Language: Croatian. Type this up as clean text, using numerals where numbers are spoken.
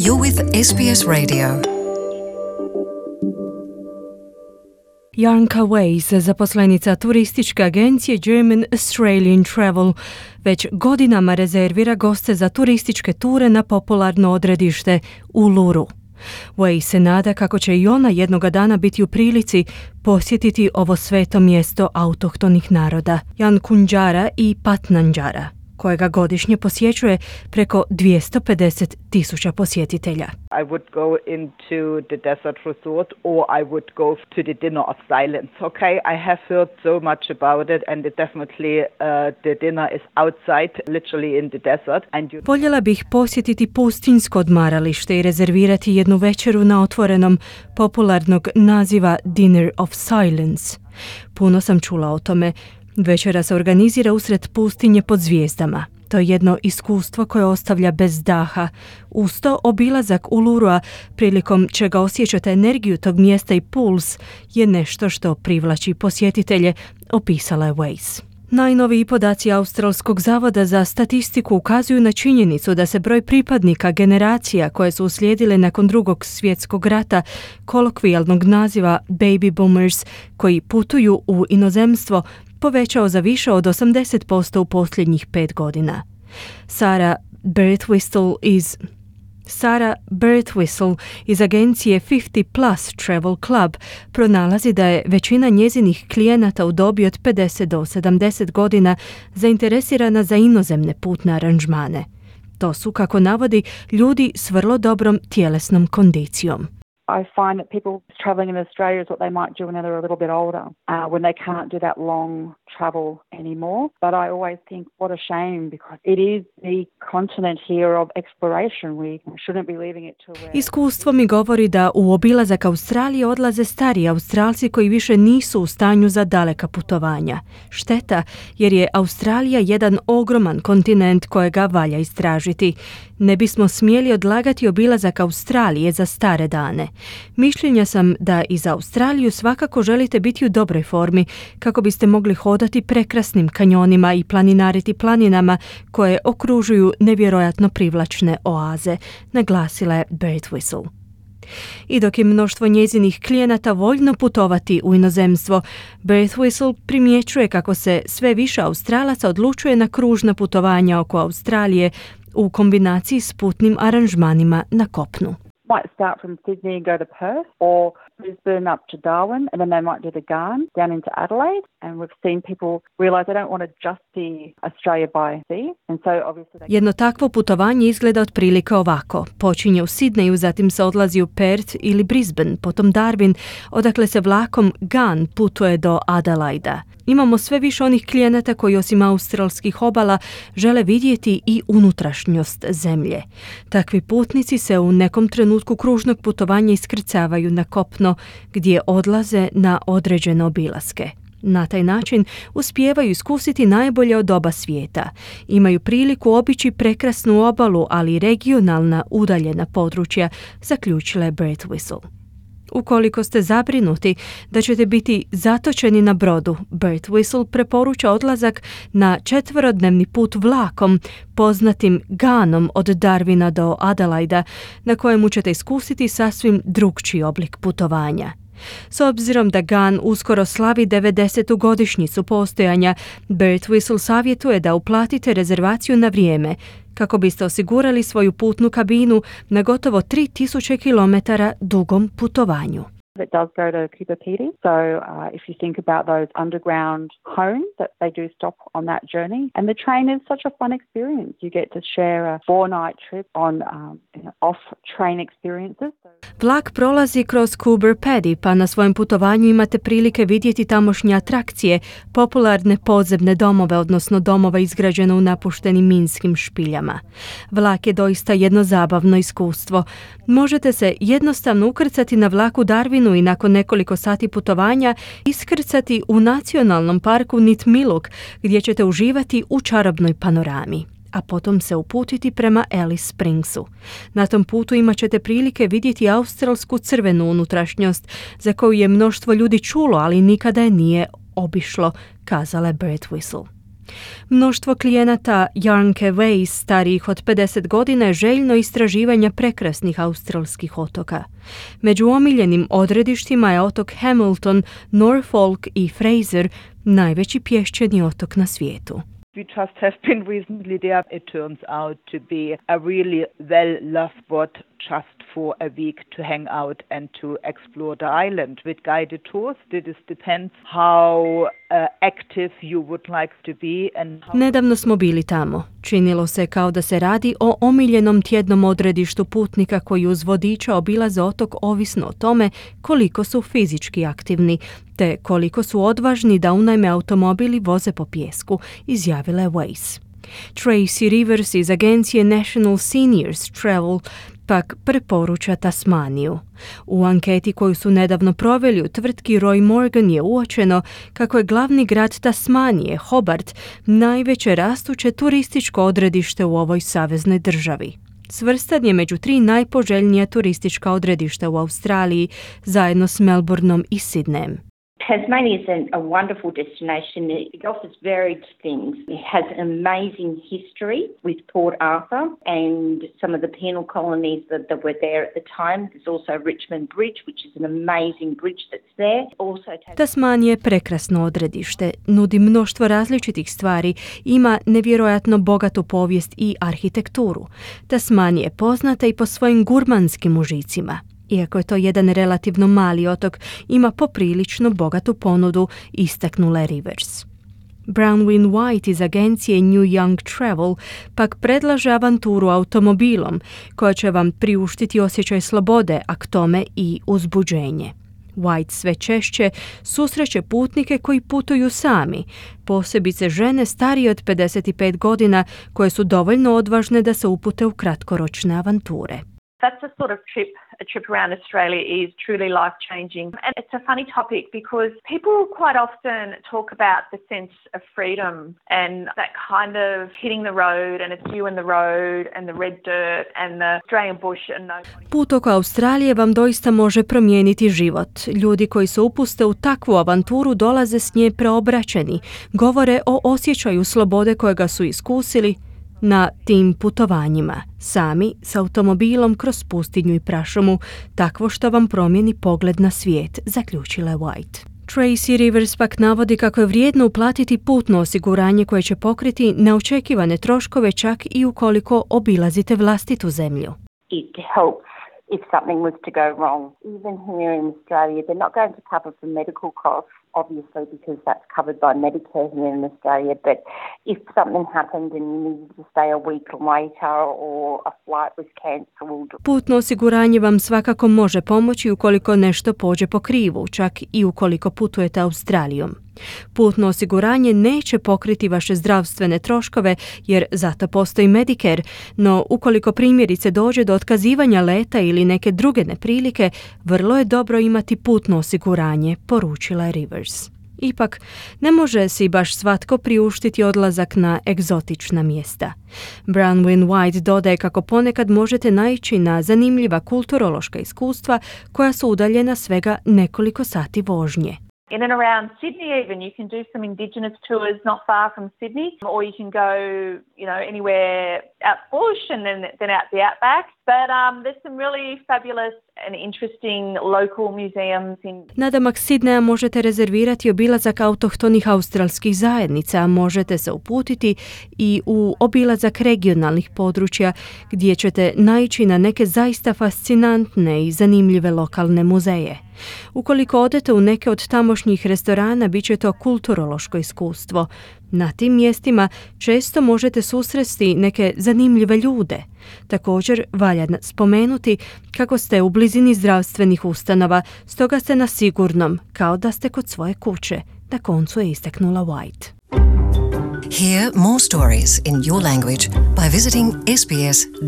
You're with SBS Radio. Janka Weiss, zaposlenica turističke agencije German Australian Travel, već godinama rezervira goste za turističke ture na popularno odredište Uluru. Weiss se nada kako će i ona jednoga dana biti u prilici posjetiti ovo sveto mjesto autohtonih naroda, Jankundjara i Patnandjara, kojega godišnje posjećuje preko 250,000 posjetitelja. I would go into the desert resort or I would go to the dinner of silence. Okay, I have heard so much about it and it definitely the dinner is outside, literally in the desert. Voljela bih posjetiti pustinjsko odmaralište i rezervirati jednu večeru na otvorenom, popularnog naziva Dinner of Silence. Puno sam čula o tome. Večera se organizira usred pustinje pod zvijezdama. To je jedno iskustvo koje ostavlja bez daha. Uz to obilazak Ulurua, prilikom čega osjećate energiju tog mjesta i puls, je nešto što privlači posjetitelje, opisala je Weiss. Najnoviji podaci Australskog zavoda za statistiku ukazuju na činjenicu da se broj pripadnika generacija koje su uslijedile nakon Drugog svjetskog rata, kolokvijalnog naziva baby boomers, koji putuju u inozemstvo, povećao za više od 80% u posljednjih 5 godina. Sarah Birtwistle iz agencije 50 Plus Travel Club pronalazi da je većina njezinih klijenata u dobi od 50 do 70 godina zainteresirana za inozemne putne aranžmane. To su, kako navodi, ljudi s vrlo dobrom tjelesnom kondicijom. I find that people travelling in Australia is what they might do when they're a little bit older, when they can't do that long travel anymore. But I always think, what a shame, because it is the continent here of exploration. We shouldn't be leaving it to where... Iskustvo mi govori da u obilazak Australije odlaze stariji Australci koji više nisu u stanju za daleka putovanja. Šteta, jer je Australija jedan ogroman kontinent kojega valja istražiti. Ne bismo smjeli odlagati obilazak Australije za stare dane. Mišljenja sam da i za Australiju svakako želite biti u dobroj formi kako biste mogli hodati prekrasnim kanjonima i planinariti planinama koje okružuju nevjerojatno privlačne oaze, naglasila je Birtwistle. I dok je mnoštvo njezinih klijenata voljno putovati u inozemstvo, Birtwistle primjećuje kako se sve više Australaca odlučuje na kružna putovanja oko Australije u kombinaciji s putnim aranžmanima na kopnu. Might start from Sydney and go to Perth, or Brisbane up to Darwin, and then they might do the Ghan down into Adelaide. And we've seen people realise they don't want to just see Australia by sea, and so obviously they... Jedno takvo putovanje izgleda otprilike ovako. Počinje u Sidneju, zatim se odlazi u Perth ili Brisbane, potom Darwin, odakle se vlakom Ghan putuje do Adelaida. Imamo sve više onih klijenata koji osim australskih obala žele vidjeti i unutrašnjost zemlje. Takvi putnici se u nekom trenutku kružnog putovanja iskrcavaju na kopno gdje odlaze na određene obilaske. Na taj način uspijevaju iskusiti najbolje od oba svijeta. Imaju priliku obići prekrasnu obalu, ali i regionalna udaljena područja, zaključila je Birtwistle. Ukoliko ste zabrinuti da ćete biti zatočeni na brodu, Birtwistle preporuča odlazak na 4-dnevni put vlakom, poznatim Ghanom od Darwina do Adelaida, na kojemu ćete iskusiti sasvim drukčiji oblik putovanja. S obzirom da Ghan uskoro slavi 90. godišnjicu postojanja, Birtwistle savjetuje da uplatite rezervaciju na vrijeme kako biste osigurali svoju putnu kabinu na gotovo 3000 km dugom putovanju. It does go to Cooper Pedy. So if you think about those underground homes that they do stop on that journey. And the train is such a fun experience. You get to share a 4-night trip on off-train experiences. Vlak prolazi kroz Cooper Pedy, pa na svojem putovanju imate prilike vidjeti tamošnje atrakcije, popularne podzemne domove, odnosno domove izgrađene u napuštenim minskim špiljama. Vlak je doista jedno zabavno iskustvo. Možete se jednostavno ukrcati na vlaku Darwinu i nakon nekoliko sati putovanja iskrcati u nacionalnom parku Nitmiluk, gdje ćete uživati u čarobnoj panorami, a potom se uputiti prema Alice Springsu. Na tom putu imat ćete prilike vidjeti australsku crvenu unutrašnjost, za koju je mnoštvo ljudi čulo, ali nikada je nije obišlo, kazala je Birtwistle. Mnoštvo klijenata Jarnke Weiss, starijih od 50 godina, je željno istraživanja prekrasnih australskih otoka. Među omiljenim odredištima je otok Hamilton, Norfolk i Fraser, najveći pješčani otok na svijetu. We just have been recently there. It turns out to be a really well-loved spot just for a week to hang out and to explore the island with guided tours. It depends how active you would like to be and how... Nedavno smo bili tamo. Činilo se kao da se radi o omiljenom tjednom odredištu putnika koji uz vodiča obilaze otok ovisno o tome koliko su fizički aktivni, te koliko su odvažni da unajme automobil i voze po pijesku, izjavila je Weiss. Tracy Rivers iz agencije National Seniors Travel pak preporuča Tasmaniju. U anketi koju su nedavno proveli u tvrtki Roy Morgan je uočeno kako je glavni grad Tasmanije, Hobart, najveće rastuće turističko odredište u ovoj saveznoj državi. Svrstan je među 3 najpoželjnija turistička odredišta u Australiji, zajedno s Melbourneom i Sydneyem. Tasmania is a wonderful destination. It offers varied things. It has an amazing history with Port Arthur and some of the penal colonies that were there at the time. There's also Richmond Bridge, which is an amazing bridge that's there. Tasmanija je prekrasno odredište, nudi mnoštvo različitih stvari, ima nevjerojatno bogatu povijest i arhitekturu. Tasmanija je poznata i po svojim gurmanskim užicima. Iako je to jedan relativno mali otok, ima poprilično bogatu ponudu, istaknula Rivers. Bronwyn White iz agencije New Young Travel pak predlaže avanturu automobilom, koja će vam priuštiti osjećaj slobode, a k tome i uzbuđenje. White sve češće susreće putnike koji putuju sami, posebice žene starije od 55 godina koje su dovoljno odvažne da se upute u kratkoročne avanture. That's the sort of a trip around Australia is truly life-changing. And it's a funny topic because people quite often talk about the sense of freedom and that kind of hitting the road and it's you and the road and the red dirt and the Australian bush and nobody. Put oko Australije vam doista može promijeniti život. Ljudi koji se upuste u takvu avanturu dolaze s nje preobraćeni. Govore o osjećaju slobode kojega su iskusili na tim putovanjima, sami s automobilom kroz pustinju i prašumu, takvo što vam promijeni pogled na svijet, zaključila je White. Tracy Rivers pak navodi kako je vrijedno uplatiti putno osiguranje koje će pokriti neočekivane troškove čak i ukoliko obilazite vlastitu zemlju. It helps if something was to go wrong. Even here in Australia, they're not going to cover for medical costs, obviously, because that's covered by Medicare here in Australia. But if something happened and you needed to stay a week later or a flight was cancelled. Putno osiguranje vam svakako može pomoći ukoliko nešto pođe po krivu, čak i ukoliko putujete Australijom. Putno osiguranje neće pokriti vaše zdravstvene troškove jer zato postoji Medicare, no ukoliko primjerice dođe do otkazivanja leta ili neke druge neprilike, vrlo je dobro imati putno osiguranje, poručila je Rivers. Ipak, ne može si baš svatko priuštiti odlazak na egzotična mjesta. Bronwyn White dodaje kako ponekad možete naići na zanimljiva kulturološka iskustva koja su udaljena svega nekoliko sati vožnje. In and around Sydney even, you can do some Indigenous tours not far from Sydney, or you can go, anywhere out bush and then out the outback. But there's some really fabulous and interesting local museums in... Nadamak Sidneja možete rezervirati obilazak autohtonih australskih zajednica, možete se uputiti i u obilazak regionalnih područja gdje ćete naići na neke zaista fascinantne i zanimljive lokalne muzeje. Ukoliko odete u neke od tamošnjih restorana, bit će to kulturološko iskustvo. Na tim mjestima često možete susresti neke zanimljive ljude. Također, valja spomenuti kako ste u blizini zdravstvenih ustanova, stoga ste na sigurnom, kao da ste kod svoje kuće. Na koncu je istaknula White. Hear more stories in your language by visiting sbs.com.au.